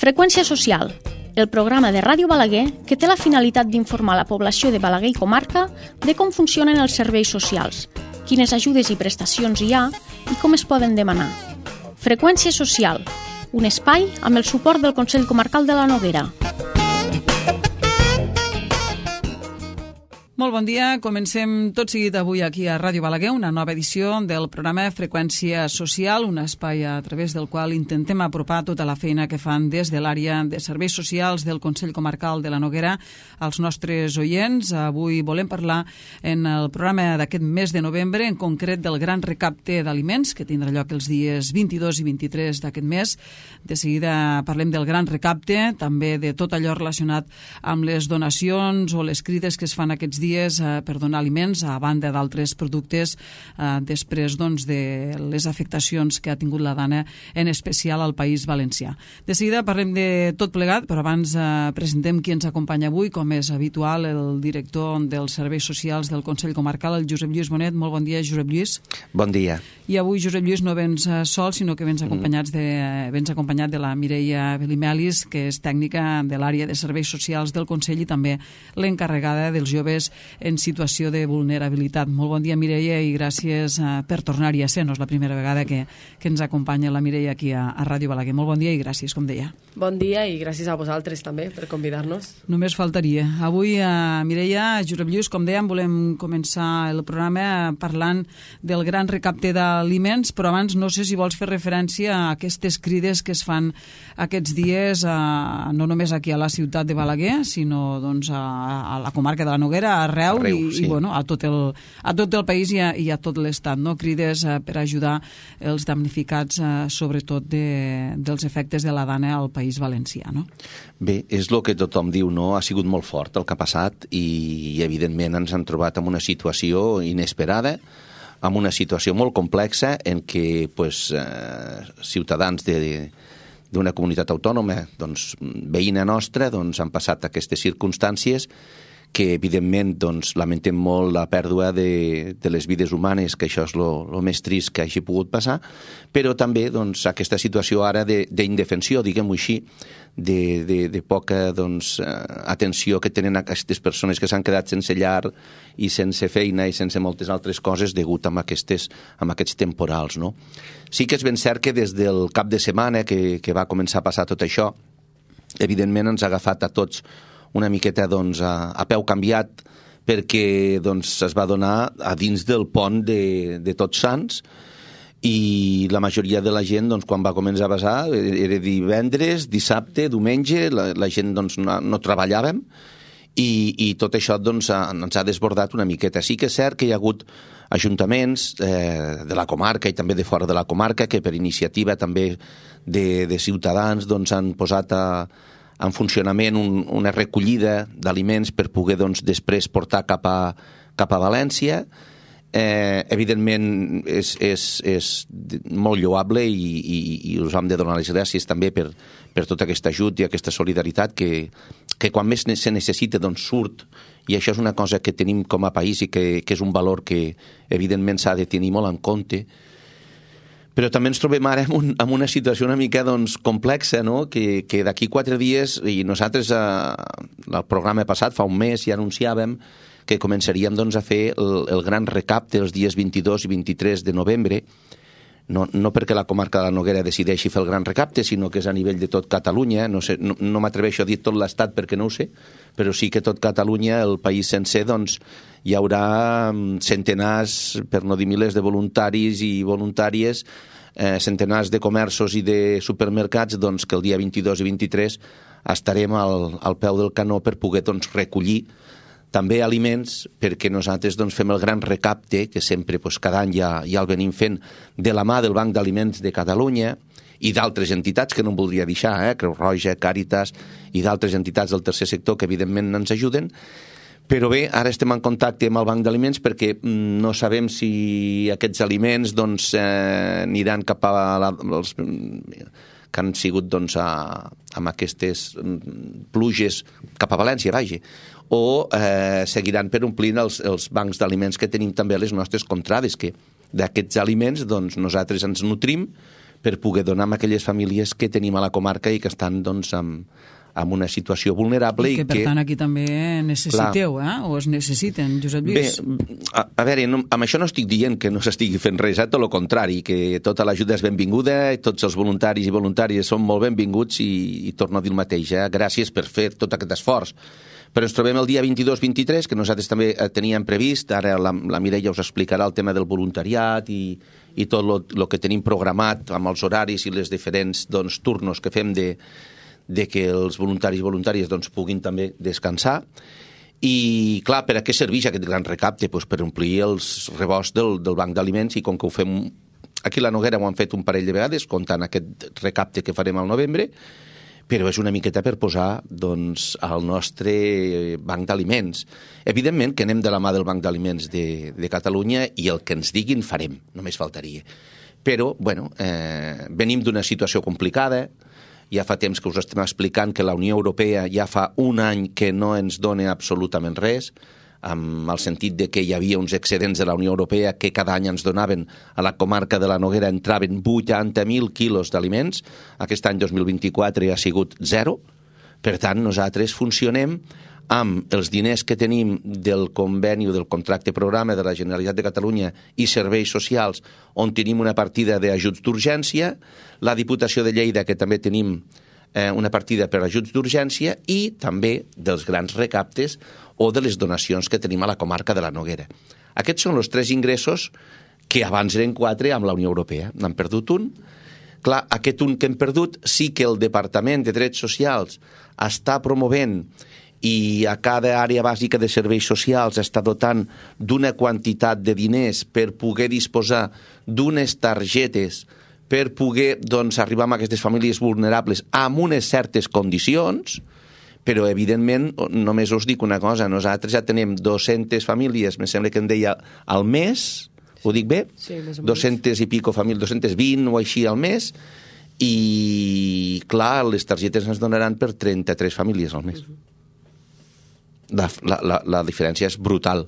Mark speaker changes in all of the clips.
Speaker 1: Freqüència social, el programa de Ràdio Balaguer que té la finalitat d'informar la població de Balaguer i comarca de com funcionen els serveis socials, quines ajudes i prestacions hi ha i com es poden demanar. Freqüència social, un espai amb el suport del Consell Comarcal de la Noguera.
Speaker 2: Molt bon dia, comencem tot seguit avui aquí a Ràdio Balaguer, una nova edició del programa Freqüència Social, un espai a través del qual intentem apropar tota la feina que fan des de l'àrea de serveis socials del Consell Comarcal de la Noguera als nostres oients. Avui volem parlar en el programa d'aquest mes de novembre, en concret del gran recapte d'aliments, que tindrà lloc els dies 22 i 23 d'aquest mes. De seguida parlem del gran recapte, també de tot allò relacionat amb les donacions o les crides que es fan aquests dies per donar aliments a banda d'altres productes després de les afectacions que ha tingut la dana, en especial al País Valencià. De seguida parlem de tot plegat, però abans presentem qui ens acompanya avui, com és habitual, el director dels Serveis Socials del Consell Comarcal, el Josep Lluís Bonet. Molt bon dia, Josep Lluís.
Speaker 3: Bon dia.
Speaker 2: I avui, Josep Lluís, no vens sol, sinó que vens acompanyat de la Mireia Belimelis, que és tècnica de l'àrea de Serveis Socials del Consell i també l'encarregada dels joves en situació de vulnerabilitat. Molt bon dia, Mireia, i gràcies per tornar-hi a ser. No és la primera vegada que ens acompanya la Mireia aquí a Ràdio Balaguer. Molt bon dia i gràcies, com deia.
Speaker 4: Bon dia i gràcies a vosaltres també per convidar-nos.
Speaker 2: Només faltaria. Avui, Mireia, Josep Lluís, com dèiem, volem començar el programa parlant del gran recapte d'aliments, però abans no sé si vols fer referència a aquestes crides que es fan aquests dies, no només aquí a la ciutat de Balaguer, sinó a la comarca de la Noguera, arreu sí. I a tot el país i a tot l'estat, no? Crides per ajudar els damnificats, sobretot dels efectes de la dana al País Valencià, no?
Speaker 3: Bé, és el que tothom diu, no? Ha sigut molt fort el que ha passat i evidentment ens han trobat en una situació inesperada, en una situació molt complexa en què ciutadans d'una comunitat autònoma, veïna nostra, han passat aquestes circumstàncies que evidentment lamentem molt la pèrdua de les vides humanes, que això és el més trist que hagi pogut passar, però també aquesta situació ara d'indefensió, diguem-ho així, de poca atenció que tenen aquestes persones que s'han quedat sense llar i sense feina i sense moltes altres coses degut a aquests temporals, no? Sí que és ben cert que des del cap de setmana que va començar a passar tot això, evidentment ens ha agafat a tots una miqueta a peu canviat perquè es va donar a dins del pont de Tots Sants i la majoria de la gent quan va començar a passar era divendres, dissabte, diumenge, la gent no treballàvem i tot això ens ha desbordat una miqueta. Sí que és cert que hi ha hagut ajuntaments de la comarca i també de fora de la comarca que per iniciativa també de ciutadans han posat en funcionament una recollida d'aliments per poder després portar cap a València. Evidentment és molt lloable i us hem de donar les gràcies també per tot aquest ajut i aquesta solidaritat que quan més se necessita surt, i això és una cosa que tenim com a país i que és un valor que evidentment s'ha de tenir molt en compte. Però també ens trobem ara en una situació una mica complexa, no? Que d'aquí 4 dies, i nosaltres el programa passat, fa un mes, ja anunciàvem que començaríem a fer el gran recapte els dies 22 i 23 de novembre, no perquè la comarca de la Noguera decideixi fer el gran recapte, sinó que és a nivell de tot Catalunya. No m'atreveixo a dir tot l'estat perquè no ho sé, però sí que tot Catalunya, el país sencer, hi haurà centenars, per no dir milers, de voluntaris i voluntàries, centenars de comerços i de supermercats que el dia 22 i 23 estarem al peu del canó per poder recollir també aliments, perquè nosaltres fem el gran recapte, que sempre cada any ja el venim fent, de la mà del Banc d'Aliments de Catalunya i d'altres entitats que no em voldria deixar, Creu Roja, Càritas i d'altres entitats del tercer sector que evidentment ens ajuden. Però bé, ara estem en contacte amb el Banc d'Aliments perquè no sabem si aquests aliments aniran cap a els que han sigut amb aquestes pluges cap a València, o seguiran per omplint els bancs d'aliments que tenim també a les nostres contrades, que d'aquests aliments nosaltres ens nutrim, per poder donar a aquelles famílies que tenim a la comarca i que estan doncs, en una situació vulnerable.
Speaker 2: I que, per tant, aquí també necessiteu, o es necessiten, Josep Lluís.
Speaker 3: Bé, a veure, amb això no estic dient que no s'estigui fent res, tot el contrari, que tota l'ajuda és benvinguda, tots els voluntaris i voluntàries són molt benvinguts i torno a dir el mateix, gràcies per fer tot aquest esforç. Però ens trobem el dia 22-23, que nosaltres també teníem previst, ara la Mireia us explicarà el tema del voluntariat i tot el que tenim programat amb els horaris i les diferents turnos que fem de que els voluntaris i voluntàries puguin també descansar. I, clar, per a què serveix aquest gran recapte? Pues per omplir els rebosts del banc d'aliments, i com que ho fem aquí a la Noguera ho han fet un parell de vegades, comptant aquest recapte que farem al novembre, però és una miqueta per posar al nostre banc d'aliments. Evidentment que anem de la mà del Banc d'Aliments de Catalunya i el que ens diguin farem, només faltaria. Però, bueno, venim d'una situació complicada. Ja fa temps que us estem explicant que la Unió Europea ja fa un any que no ens dona absolutament res, amb el sentit de que hi havia uns excedents de la Unió Europea que cada any ens donaven a la comarca de la Noguera, entraven 80.000 quilos d'aliments. Aquest any 2024 ha sigut 0. Per tant, nosaltres funcionem amb els diners que tenim del conveni o del contracte programa de la Generalitat de Catalunya i serveis socials, on tenim una partida d'ajuts d'urgència, la Diputació de Lleida, que també tenim una partida per ajuts d'urgència, i també dels grans recaptes o de les donacions que tenim a la comarca de la Noguera. Aquests són els 3 ingressos que abans eren 4 amb la Unió Europea. N'han perdut un. Clar, aquest un que hem perdut sí que el Departament de Drets Socials està promovent i a cada àrea bàsica de serveis socials està dotant d'una quantitat de diners per poder disposar d'unes targetes per poder arribar a aquestes famílies vulnerables amb unes certes condicions, però evidentment només us dic una cosa, nosaltres ja tenim 200 famílies, me sembla que em deia al mes, ho dic bé?
Speaker 4: Sí, més o menys.
Speaker 3: 200 i pico famílies, 220 o així al mes, i clar, les targetes ens donaran per 33 famílies al mes. La diferència és brutal.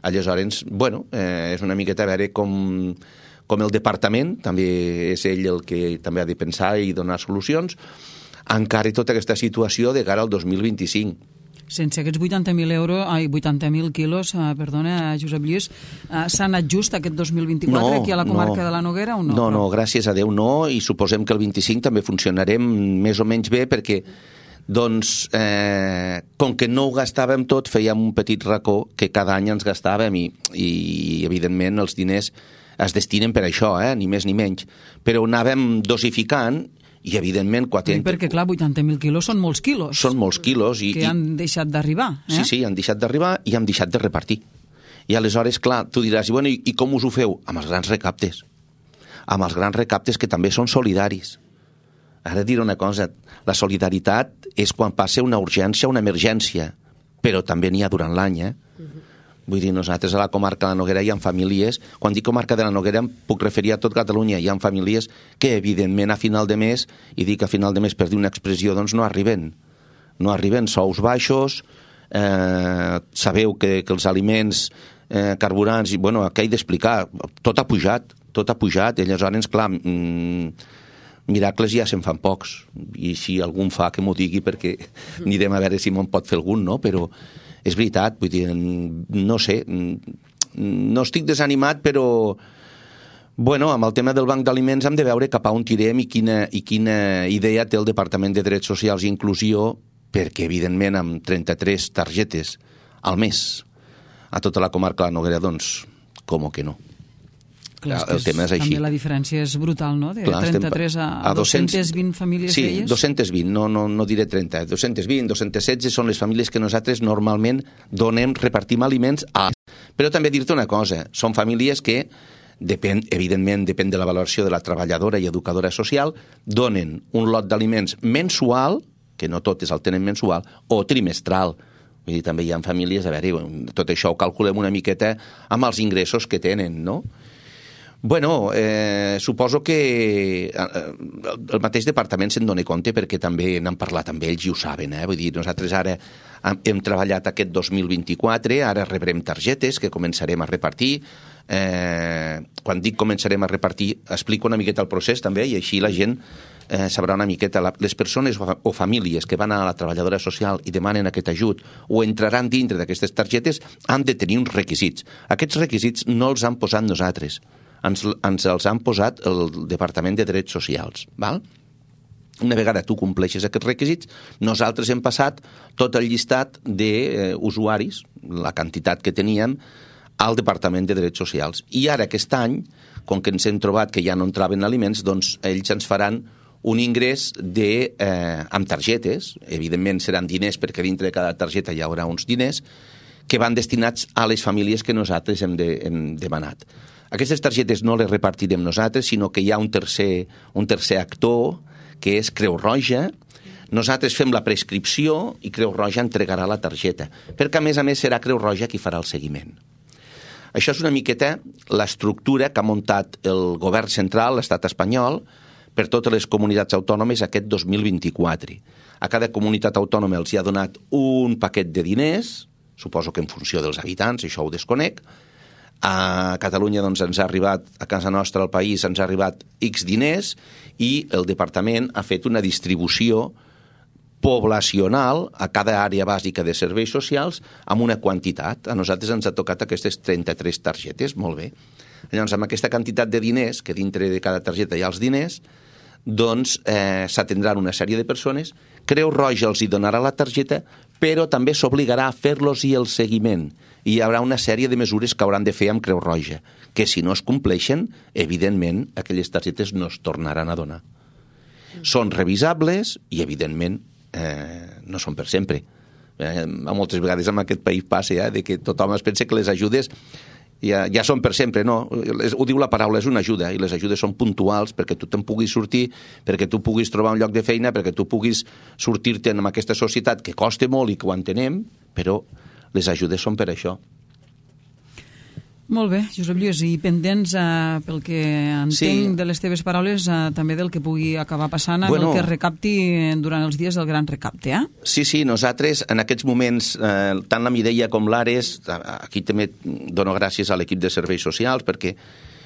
Speaker 3: Aleshores, bueno, és una miqueta a veure com el departament, també és ell el que també ha de pensar i donar solucions, encara tota aquesta situació de cara al 2025.
Speaker 2: Sense aquests 80.000 quilos, Josep Lluís, s'ha anat just aquest 2024 aquí a la comarca de la Noguera o no?
Speaker 3: No, gràcies a Déu no, i suposem que el 25 també funcionarem més o menys bé, perquè com que no ho gastàvem tot, fèiem un petit racó que cada any ens gastàvem i evidentment els diners es destinen per això, ni més ni menys, però anàvem dosificant i evidentment...
Speaker 2: Perquè clar, 80.000 quilos són molts quilos.
Speaker 3: Són molts quilos.
Speaker 2: Que han deixat d'arribar.
Speaker 3: Sí, han deixat d'arribar i han deixat de repartir. I aleshores, clar, tu diràs, i com us ho feu? Amb els grans recaptes. Amb els grans recaptes que també són solidaris. Ara diré una cosa, la solidaritat és quan passa una urgència, una emergència, però també n'hi ha durant l'any, Vull dir, nosaltres a la comarca de la Noguera hi ha famílies, quan dic comarca de la Noguera em puc referir a tot Catalunya, hi ha famílies que evidentment a final de mes, i dic a final de mes per dir una expressió, doncs no arriben. No arriben, sous baixos, sabeu que els aliments, carburants, i bueno, què he d'explicar? Tot ha pujat, i aleshores, clar, miracles ja se'n fan pocs, i si algun fa que m'ho digui perquè anirem a veure si me'n pot fer algun, no? Però és veritat, vull dir, no sé, no estic desanimat, però bueno, amb el tema del banc d'aliments hem de veure cap a on tirem i quina idea té el Departament de Drets Socials i Inclusió, perquè evidentment amb 33 targetes al mes a tota la comarca de la Noguera, doncs, com que no.
Speaker 2: Clar, el tema és així. També la diferència és brutal, no? De 33 a 220 famílies d'elles?
Speaker 3: Sí, 220, no diré 30. 220, 216 són les famílies que nosaltres normalment repartim aliments a... Però també dir-te una cosa, són famílies que, evidentment, depèn de la valoració de la treballadora i educadora social, donen un lot d'aliments mensual, que no totes el tenen mensual, o trimestral. Vull dir, també hi ha famílies, a veure, tot això ho calculem una miqueta amb els ingressos que tenen, no? Bueno, suposo que el mateix departament se'n dona compte perquè també n'han parlat amb ells i ho saben, Vull dir, nosaltres ara hem treballat aquest 2024, ara rebrem targetes que començarem a repartir, quan dic començarem a repartir, explico una miqueta el procés també, i així la gent sabrà una miqueta. Les persones o famílies que van a la treballadora social i demanen aquest ajut o entraran dintre d'aquestes targetes han de tenir uns requisits. Aquests requisits no els han posat nosaltres, ens els han posat el Departament de Drets Socials, val? Una vegada tu compleixes aquests requisits, nosaltres hem passat tot el llistat d'usuaris, la quantitat que teníem, al Departament de Drets Socials. I ara, aquest any, com que ens hem trobat que ja no entraven aliments, doncs ells ens faran un ingrés amb targetes, evidentment seran diners perquè dintre de cada targeta hi haurà uns diners, que van destinats a les famílies que nosaltres hem demanat. Aquestes targetes no les repartirem nosaltres, sinó que hi ha un tercer actor, que és Creu Roja. Nosaltres fem la prescripció i Creu Roja entregarà la targeta, perquè a més serà Creu Roja qui farà el seguiment. Això és una miqueta l'estructura que ha muntat el govern central, l'estat espanyol, per totes les comunitats autònomes aquest 2024. A cada comunitat autònoma els hi ha donat un paquet de diners, suposo que en funció dels habitants, això ho desconec. A Catalunya doncs, ens ha arribat, a casa nostra, al país, ens ha arribat X diners i el departament ha fet una distribució poblacional a cada àrea bàsica de serveis socials amb una quantitat. A nosaltres ens ha tocat aquestes 33 targetes, molt bé. Llavors, amb aquesta quantitat de diners, que dintre de cada targeta hi ha els diners, doncs s'atendran una sèrie de persones, Creu Roja els hi donarà la targeta, però també s'obligarà a fer-los i el seguiment. I hi haurà una sèrie de mesures que hauran de fer amb Creu Roja, que si no es compleixen, evidentment, aquelles targetes no es tornaran a donar. Són revisables i, evidentment, no són per sempre. Moltes vegades en aquest país passa de que tothom es pensa que les ajudes ja són per sempre, no. Ho diu la paraula, és una ajuda, i les ajudes són puntuals perquè tu te'n puguis sortir, perquè tu puguis trobar un lloc de feina, perquè tu puguis sortir-te en aquesta societat que costa molt i que ho entenem, però les ajudes són per això.
Speaker 2: Molt bé, Josep Lluís, i pendents, pel que entenc de les teves paraules, també del que pugui acabar passant amb el que es recapti durant els dies del gran recapte,
Speaker 3: Sí, nosaltres en aquests moments, tant la Mireia com l'Ares, aquí també dono gràcies a l'equip de serveis socials, perquè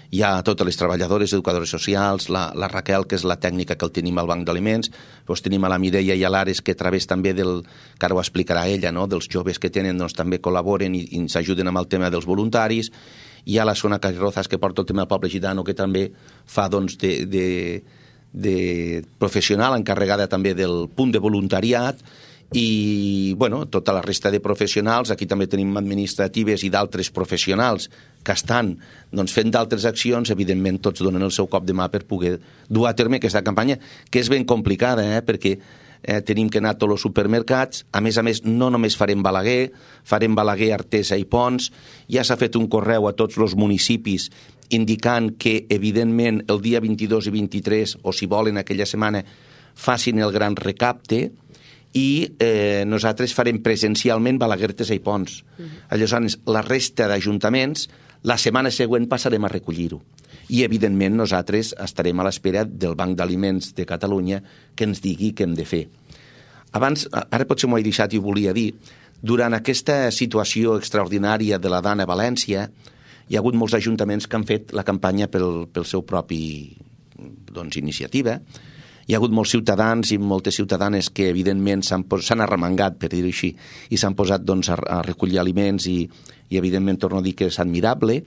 Speaker 3: hi ha totes les treballadores, educadores socials, la Raquel, que és la tècnica que el tenim al Banc d'Aliments, doncs tenim a la Mireia i a l'Ares, que a través també que ara ho explicarà ella, no? Dels joves que tenen, doncs també col·laboren i ens ajuden amb el tema dels voluntaris. Hi ha la Sona Carrozas, que porta el tema del poble gitano, que també fa doncs de professional, encarregada també del punt de voluntariat, i tota la resta de professionals. Aquí també tenim administratives i d'altres professionals que estan fent d'altres accions. Evidentment tots donen el seu cop de mà per poder dur a terme aquesta campanya, que és ben complicada, perquè tenim que anar a tots els supermercats. A més, no només farem Balaguer, Artesa i Pons. Ja s'ha fet un correu a tots els municipis indicant que, evidentment, el dia 22 i 23, o si volen aquella setmana, facin el gran recapte, i nosaltres farem presencialment Balaguer, Artesa i Pons. Aleshores, la resta d'ajuntaments, la setmana següent passarem a recollir-ho. I, evidentment, nosaltres estarem a l'espera del Banc d'Aliments de Catalunya que ens digui què hem de fer. Abans, ara potser m'ho he deixat i ho volia dir, durant aquesta situació extraordinària de la Dana a València, hi ha hagut molts ajuntaments que han fet la campanya pel seu propi iniciativa. Hi ha hagut molts ciutadans i moltes ciutadanes que, evidentment, s'han arremangat, per dir-ho així, i s'han posat a recollir aliments i, evidentment, torno a dir que és admirable.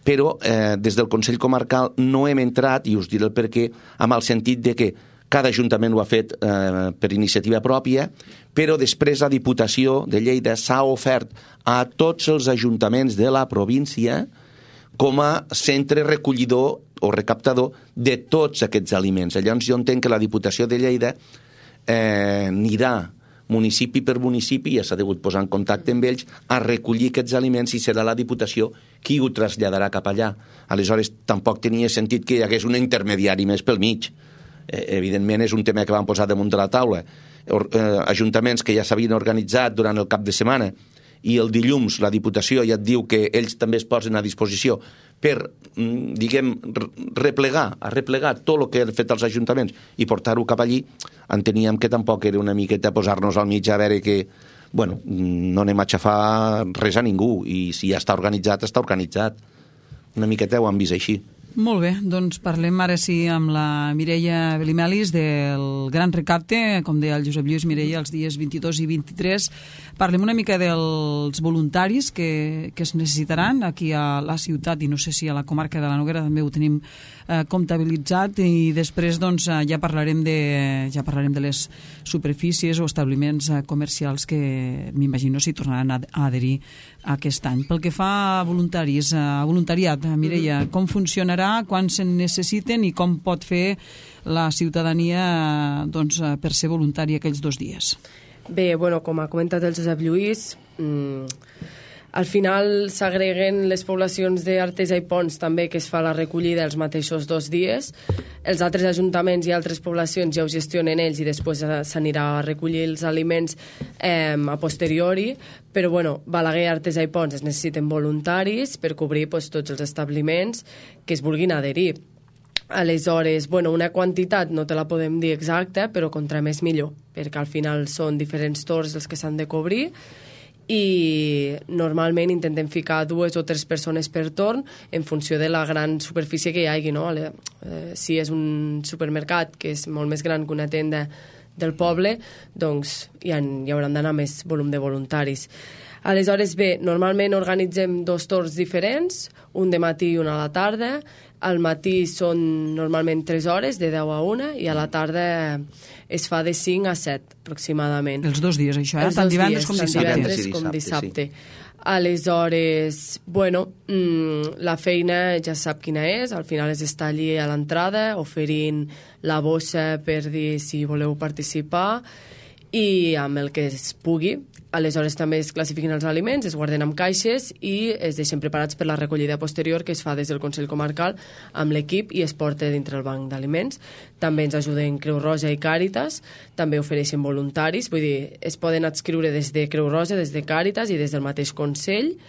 Speaker 3: Però des del Consell Comarcal no hem entrat, i us diré el perquè, amb el sentit de que cada ajuntament ho ha fet per iniciativa pròpia, però després la Diputació de Lleida s'ha ofert a tots els ajuntaments de la província com a centre recollidor o recaptador de tots aquests aliments. Llavors jo entenc que la Diputació de Lleida anirà municipi per municipi, ja s'ha degut posar en contacte amb ells, a recollir aquests aliments i serà la Diputació qui ho traslladarà cap allà. Aleshores, tampoc tenia sentit que hi hagués un intermediari més pel mig. Evidentment, és un tema que van posar damunt de la taula. Ajuntaments que ja s'havien organitzat durant el cap de setmana i el dilluns la Diputació ja et diu que ells també es posen a disposició per, replegar tot el que han fet els ajuntaments i portar-ho cap allí. Enteníem que tampoc era una miqueta posar-nos al mig a veure que, no anem a xafar res a ningú, i si ja està organitzat, està organitzat. una miqueta ho han vist així.
Speaker 2: Molt bé, doncs parlem ara sí amb la Mireia Belimelis del Gran Recapte, com deia el Josep Lluís. Mireia, els dies 22 i 23. Parlem una mica dels voluntaris que es necessitaran aquí a la ciutat i no sé si a la comarca de la Noguera també ho tenim comptabilitzat, i després doncs, ja parlarem de les superfícies o establiments comercials que m'imagino s'hi tornaran a adherir aquest any. Pel que fa a voluntaris, a voluntariat, Mireia, com funcionarà, quan se'n necessiten i com pot fer la ciutadania doncs, per ser voluntari aquells 2 dies?
Speaker 4: Bé, bueno, com ha comentat el Josep Lluís, al final s'agreguen les poblacions d'Artesa i Ponts també, que es fa la recollida els mateixos 2 dies. Els altres ajuntaments i altres poblacions ja ho gestionen ells i després s'anirà a recollir els aliments a posteriori, però bueno, Balaguer, Artesa i Ponts es necessiten voluntaris per cobrir tots els establiments que es vulguin adherir. Aleshores, bueno, una quantitat no te la podem dir exacta, però contra més millor, perquè al final són diferents torns els que s'han de cobrir i normalment intentem ficar 2 o 3 persones per torn en funció de la gran superfície que hi hagi, no? Si és un supermercat que és molt més gran que una tenda del poble, doncs hi hauran d'anar més volum de voluntaris. Aleshores, bé, normalment organitzem 2 torns diferents, un de matí i un a la tarda. Al matí són normalment 3 hores, de 10 a 1, i a la tarda es fa de 5 a 7, aproximadament.
Speaker 2: Els 2 dies, això, tant divendres com dissabte.
Speaker 4: Tant divendres com dissabte. Sí. Aleshores, bueno, la feina ja sap quina és, al final és estar allí a l'entrada, oferint la bossa per dir si voleu participar, i amb el que es pugui. Aleshores també es classifiquen els aliments, es guarden en caixes i es deixen preparats per la recollida posterior que es fa des del Consell Comarcal amb l'equip i es porta dintre el banc d'aliments. També ens ajuden Creu Roja i Càritas, també ofereixen voluntaris, vull dir, es poden adscriure des de Creu Roja, des de Càritas i des del mateix Consell.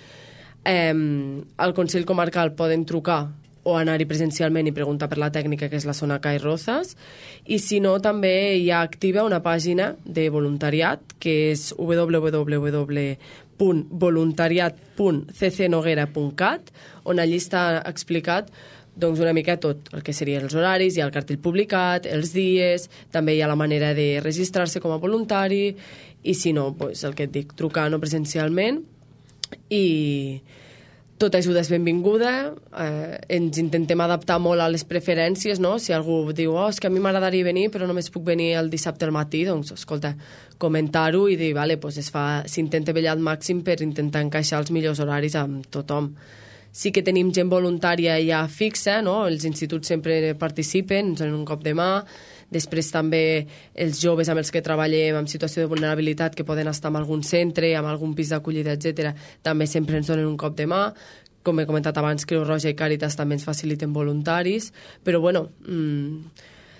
Speaker 4: Al Consell Comarcal poden trucar o anar-hi presencialment i preguntar per la tècnica, que és la zona CAI Rozas, i si no també hi ha activa una pàgina de voluntariat que és www.voluntariat.ccnoguera.cat, on allí està explicat doncs, una mica tot el que serien els horaris, hi ha el cartell publicat, els dies, també hi ha la manera de registrar-se com a voluntari, i si no, doncs, el que et dic, trucant o presencialment, i tota ajuda és benvinguda. Ens intentem adaptar molt a les preferències, no? Si algú diu, és que a mi m'agradaria venir però només puc venir el dissabte al matí, doncs, escolta, comentar-ho i dir, vale, pues s'intenta vetllar al màxim per intentar encaixar els millors horaris amb tothom. Sí que tenim gent voluntària ja fixa, no? Els instituts sempre participen, ens donen un cop de mà. Després també els joves amb els que treballem en situació de vulnerabilitat, que poden estar en algun centre, en algun pis d'acollida, etc., també sempre ens donen un cop de mà. Com he comentat abans, Creu Roja i Càritas també ens faciliten voluntaris, però bueno,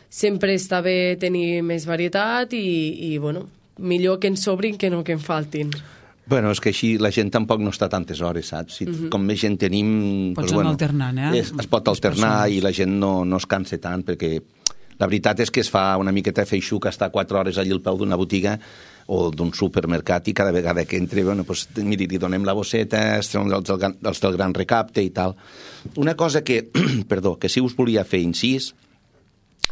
Speaker 4: sempre està bé tenir més varietat i bueno, millor que ens sobrin que no que en faltin.
Speaker 3: Bueno, és que així la gent tampoc no està tantes hores, saps? Com més gent tenim...
Speaker 2: Pots anar alternant,
Speaker 3: es pot alternar i la gent no es cansa tant, perquè la veritat és que es fa una miqueta feixuc estar 4 hores allí al peu d'una botiga o d'un supermercat i cada vegada que entre, bueno, doncs, miri, li donem la bosseta, els del Gran Recapte i tal. Una cosa que, perdó, que sí us volia fer incís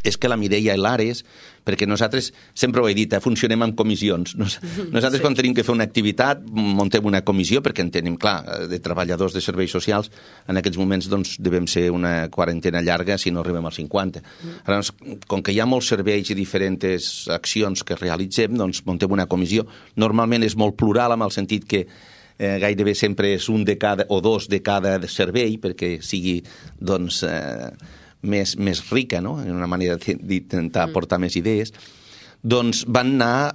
Speaker 3: és que la Mireia i l'Ares, perquè nosaltres, sempre ho he dit, funcionem amb comissions. Nosaltres quan tenim que fer una activitat, muntem una comissió, perquè en tenim, clar, de treballadors de serveis socials, en aquests moments doncs, devem ser una quarantena llarga si no arribem als 50. Ara, com que hi ha molts serveis i diferents accions que realitzem, doncs muntem una comissió. Normalment és molt plural, amb el sentit que gairebé sempre és un de cada o 2 de cada servei, perquè sigui, doncs... més rica, no? En una manera d'intentar aportar més idees, doncs van anar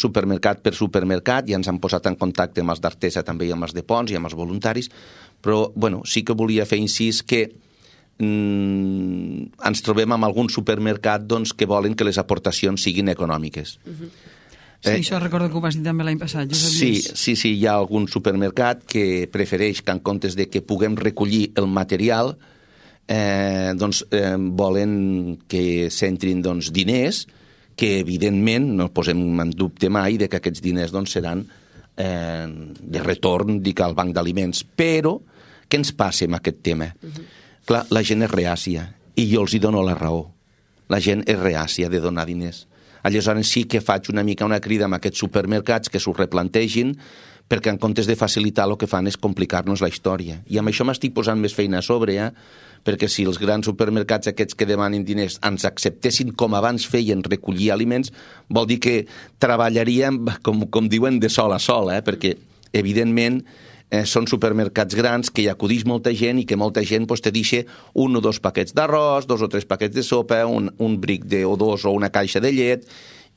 Speaker 3: supermercat per supermercat i ens han posat en contacte amb els d'Artesa també i amb els de Ponts i amb els voluntaris, però bueno, sí que volia fer incís que ens trobem amb algun supermercat doncs, que volen que les aportacions siguin econòmiques.
Speaker 2: Sí, això recordo que ho vas dir també l'any passat.
Speaker 3: Sí, hi ha algun supermercat que prefereix que en comptes de que puguem recollir el material volen que s'entrin diners que evidentment no posem en dubte mai de que aquests diners seran de retorn al banc d'aliments, però Què ens passa amb aquest tema? Clar, la gent és reàcia i jo els hi dono la raó. La gent és reàcia de donar diners. Aleshores sí que faig una mica una crida amb aquests supermercats que s'ho replantegin, perquè en comptes de facilitar el que fan és complicar-nos la història. I amb això m'estic posant més feina a sobre, perquè si els grans supermercats aquests que demanen diners ens acceptessin com abans feien recollir aliments, vol dir que treballaríem, com diuen, de sol a sol, perquè evidentment són supermercats grans que hi acudix molta gent i que molta gent te deixa 1 o 2 paquets d'arròs, 2 o 3 paquets de sopa, un bric o 2 o una caixa de llet,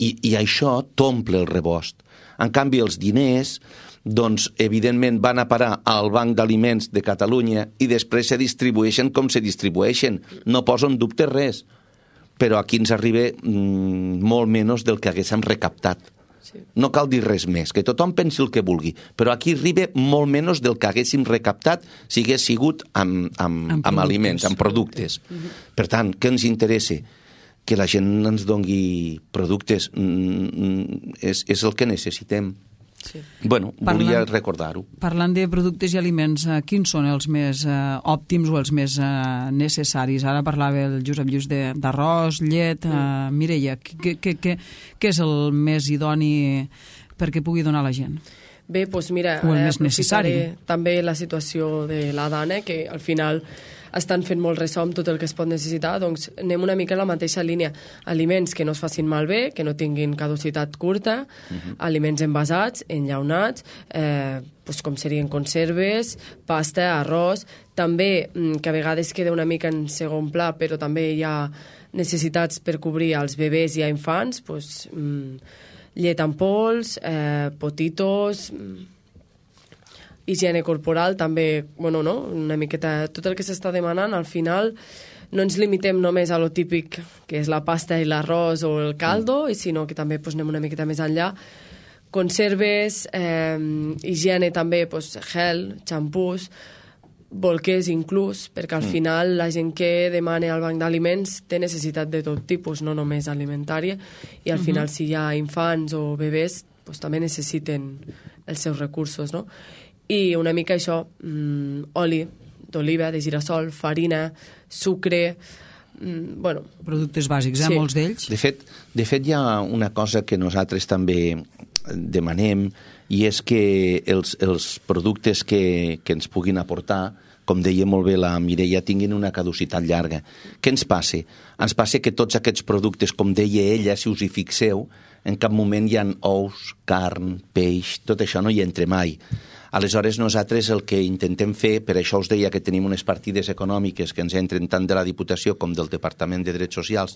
Speaker 3: i això t'omple el rebost. En canvi, els diners, doncs, evidentment, van a parar al Banc d'Aliments de Catalunya i després se distribueixen com se distribueixen. No poso en dubte res, però aquí ens arriba molt menys del que haguéssim recaptat. Sí. No cal dir res més, que tothom pensi el que vulgui, però aquí arriba molt menys del que haguéssim recaptat si hagués sigut amb aliments, amb productes. Per tant, què ens interessa? Que la gent ens doni productes, és el que necessitem. Sí. Bueno, volia recordar-ho.
Speaker 2: Parlant de productes i aliments, quins són els més òptims o els més necessaris? Ara parlava el Josep Lluís d'arròs, llet. Mireia, què és el més idoni perquè pugui donar a la gent?
Speaker 4: Bé, doncs mira, aprofitaré també la situació de la Dana, que al final estan fent molt ressò amb tot el que es pot necessitar, doncs anem una mica en la mateixa línia. Aliments que no es facin malbé, que no tinguin caducitat curta, aliments envasats, enllaunats, doncs com serien conserves, pasta, arròs, també que a vegades queda una mica en segon pla, però també hi ha necessitats per cobrir als bebès i a infants, doncs llet en pols, potitos, higiene corporal, també, bueno, no? Una miqueta, tot el que s'està demanant, al final no ens limitem només a lo típic, que és la pasta i l'arròs o el caldo, sinó que també pues, anem una miqueta més enllà. Conserves, higiene també, pues, gel, xampús, bolquers inclús, perquè al final la gent que demana al banc d'aliments té necessitat de tot tipus, no només alimentària, i al final si hi ha infants o bebès, pues, també necessiten els seus recursos, no? I una mica això, oli d'oliva, de girassol, farina, sucre, bueno...
Speaker 2: Productes bàsics,
Speaker 4: sí.
Speaker 2: Molts d'ells.
Speaker 3: De fet, hi ha una cosa que nosaltres també demanem, i és que els productes que ens puguin aportar, com deia molt bé la Mireia, tinguin una caducitat llarga. Què ens passa? Ens passa que tots aquests productes, com deia ella, si us hi fixeu, en cap moment hi ha ous, carn, peix, tot això no hi entra mai. Aleshores, nosaltres el que intentem fer, per això us deia que tenim unes partides econòmiques que ens entren tant de la Diputació com del Departament de Drets Socials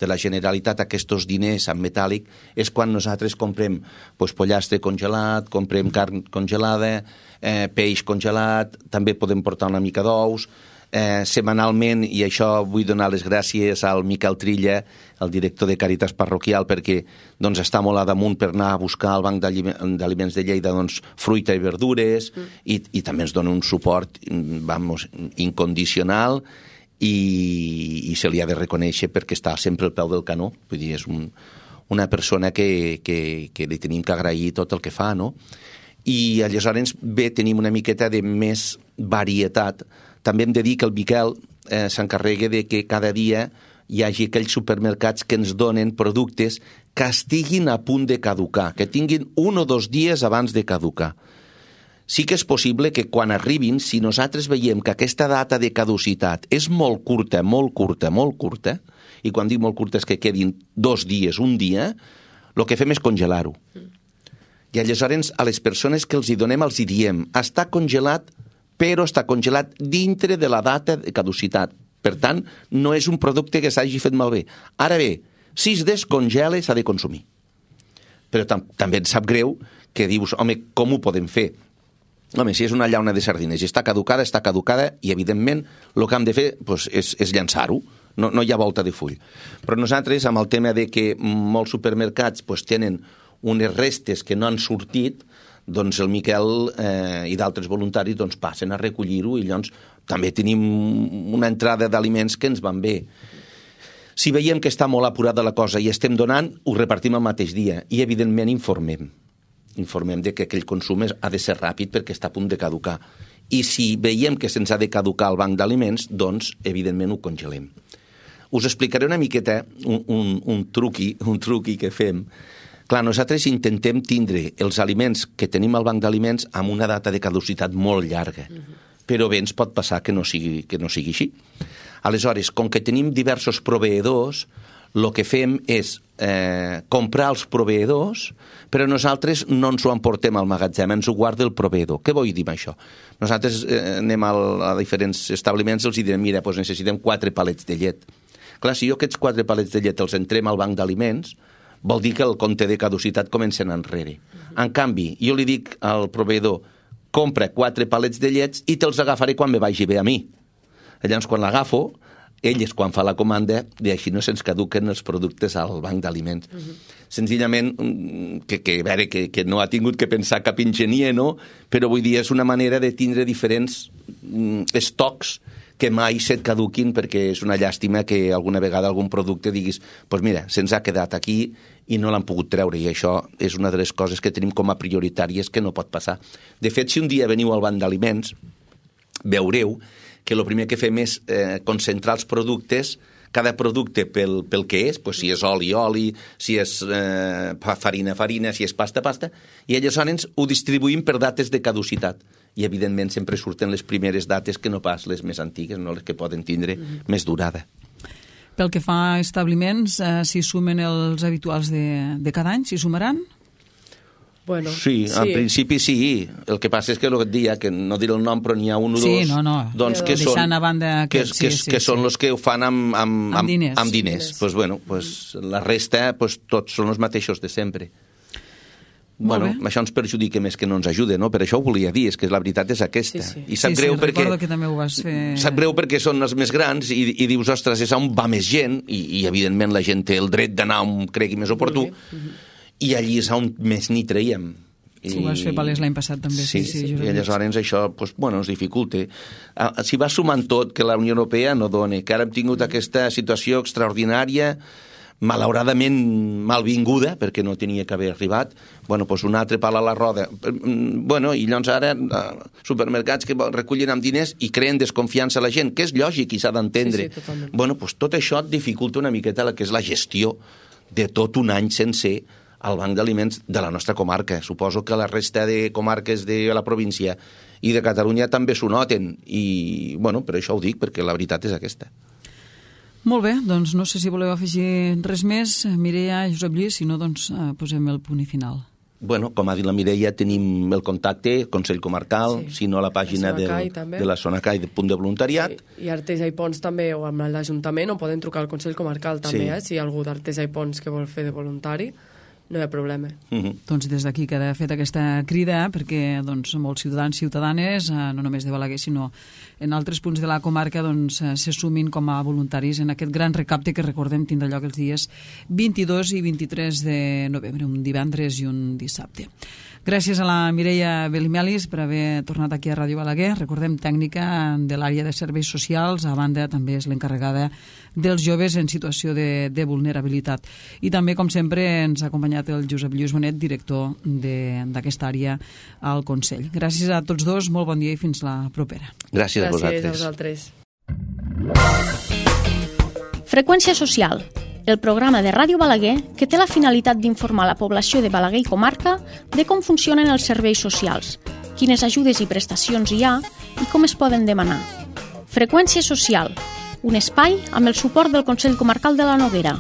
Speaker 3: de la Generalitat, aquests diners en metàl·lic, és quan nosaltres comprem pollastre congelat, comprem carn congelada, peix congelat, també podem portar una mica d'ous, setmanalment, i això vull donar les gràcies al Miquel Trilla, el director de Càritas Parroquial, perquè doncs, està molt a damunt per anar a buscar al Banc d'Aliments de Lleida doncs, fruita i verdures, i també ens dona un suport incondicional, i se li ha de reconèixer perquè està sempre al peu del canó. Vull dir, és una persona que li tenim que agrair tot el que fa, no? I aleshores bé, tenim una miqueta de més varietat. També hem de dir que el Miquel s'encarrega de que cada dia hi hagi aquells supermercats que ens donen productes que estiguin a punt de caducar, que tinguin 1 o 2 dies abans de caducar. Sí que és possible que quan arribin, si nosaltres veiem que aquesta data de caducitat és molt curta, i quan dic molt curta és que quedin 2 dies, 1 dia, el que fem és congelar-ho. I aleshores a les persones que els hi donem els hi diem, està congelat, però està congelat dintre de la data de caducitat. Per tant, no és un producte que s'hagi fet malbé. Ara bé, si es descongela s'ha de consumir. Però també ens sap greu que dius, home, com ho podem fer? Home, si és una llauna de sardines i està caducada, i evidentment el que hem de fer doncs, és llançar-ho. No hi ha volta de full. Però nosaltres, amb el tema de que molts supermercats doncs, tenen unes restes que no han sortit, doncs el Miquel i d'altres voluntaris doncs, passen a recollir-ho i llavors també tenim una entrada d'aliments que ens van bé. Si veiem que està molt apurada la cosa i estem donant, ho repartim el mateix dia i evidentment informem de que aquell consum ha de ser ràpid perquè està a punt de caducar. i si veiem que se'ns ha de caducar el banc d'aliments, doncs, evidentment, ho congelem. Us explicaré una miqueta un truqui que fem. Clar, nosaltres intentem tindre els aliments que tenim al banc d'aliments amb una data de caducitat molt llarga, però bé ens pot passar que no sigui així. Aleshores, com que tenim diversos proveïdors, el que fem és comprar els proveïdors, però nosaltres no ens ho emportem al magatzem, ens ho guarda el proveïdor. Què vull dir amb això? Nosaltres anem a diferents establiments i els direm, mira, doncs necessitem 4 palets de llet. Clar, si jo aquests 4 palets de llet els entrem al banc d'aliments, vol dir que el compte de caducitat comença enrere. En canvi, jo li dic al proveïdor, compra 4 palets de llets i te'ls agafaré quan me vagi bé a mi. Llavors, quan l'agafo, ell és quan fa la comanda i així no se'ns caduquen els productes al banc d'aliments. Senzillament, que no ha tingut que pensar cap enginyer, no? Però vull dir, és una manera de tindre diferents estocs que mai se't caduquin, perquè és una llàstima que alguna vegada algun producte diguis doncs mira, se'ns ha quedat aquí i no l'han pogut treure, i això és una de les coses que tenim com a prioritàries que no pot passar. De fet, si un dia veniu al banc d'aliments, veureu que el primer que fem és concentrar els productes, cada producte pel que és, doncs si és oli, si és farina, si és pasta, i aleshores ho distribuïm per dates de caducitat. I, evidentment, sempre surten les primeres dates que no pas les més antigues, no les que poden tindre més durada.
Speaker 2: Pel que fa a establiments, s'hi sumen els habituals de cada any? S'hi sumaran?
Speaker 4: Bueno,
Speaker 3: sí, en principi sí. El que passa és que el que et deia, que no diré el nom, però n'hi ha un o dos, doncs que són els que ho fan amb diners. Pues bueno, pues la resta, pues tots són els mateixos de sempre. Bueno, això ens perjudica més que no ens ajuda, no? Per això ho volia dir, és que la veritat és aquesta. I sap greu perquè...
Speaker 2: recordo que també ho vas fer...
Speaker 3: Sap greu perquè són els més grans i dius, ostres, és on va més gent, i evidentment la gent té el dret d'anar on cregui més oportú, i allí és on més n'hi traiem.
Speaker 2: Ho vas fer palès l'any passat també.
Speaker 3: Sí, i aleshores això ens dificulta. Si va sumant tot, que la Unió Europea no dona, que ara hem tingut aquesta situació extraordinària, malauradament malvinguda, perquè no tenia que haver arribat, doncs un altre pal a la roda. I llavors ara supermercats que recullen amb diners i creen desconfiança a la gent, que és lògic i s'ha d'entendre. Doncs tot això et dificulta una miqueta el que és la gestió de tot un any sencer al banc d'aliments de la nostra comarca. Suposo que la resta de comarques de la província i de Catalunya també s'ho noten, i per això ho dic, perquè la veritat és aquesta.
Speaker 2: Molt bé, doncs no sé si voleu afegir res més. Mireia, Josep Lluís, si no, doncs posem el punt i final.
Speaker 3: Com ha dit la Mireia, tenim el contacte, Consell Comarcal, si no a la pàgina de la Sonacai, de punt de voluntariat.
Speaker 4: I Artesa i Pons també, o amb l'Ajuntament, o poden trucar al Consell Comarcal també, si hi ha algú d'Artesa i Pons que vol fer de voluntari. No hi ha problema.
Speaker 2: Doncs des d'aquí queda fet aquesta crida perquè molts ciutadans i ciutadanes, no només de Balaguer, sinó en altres punts de la comarca, se sumin com a voluntaris en aquest gran recapte que, recordem, tindrà lloc els dies 22 i 23 de novembre, un divendres i un dissabte. Gràcies a la Mireia Belimelis per haver tornat aquí a Ràdio Balaguer. Recordem, tècnica de l'àrea de serveis socials, a banda també és l'encarregada dels joves en situació de vulnerabilitat. I també, com sempre, ens ha acompanyat el Josep Lluís Bonet, director d'aquesta àrea al Consell. Gràcies a tots dos, molt bon dia i fins la propera.
Speaker 3: Gràcies a
Speaker 4: vosaltres.
Speaker 1: Freqüència social, el programa de Ràdio Balaguer que té la finalitat d'informar la població de Balaguer i comarca de com funcionen els serveis socials, quines ajudes i prestacions hi ha i com es poden demanar. Freqüència social, un espai amb el suport del Consell Comarcal de la Noguera.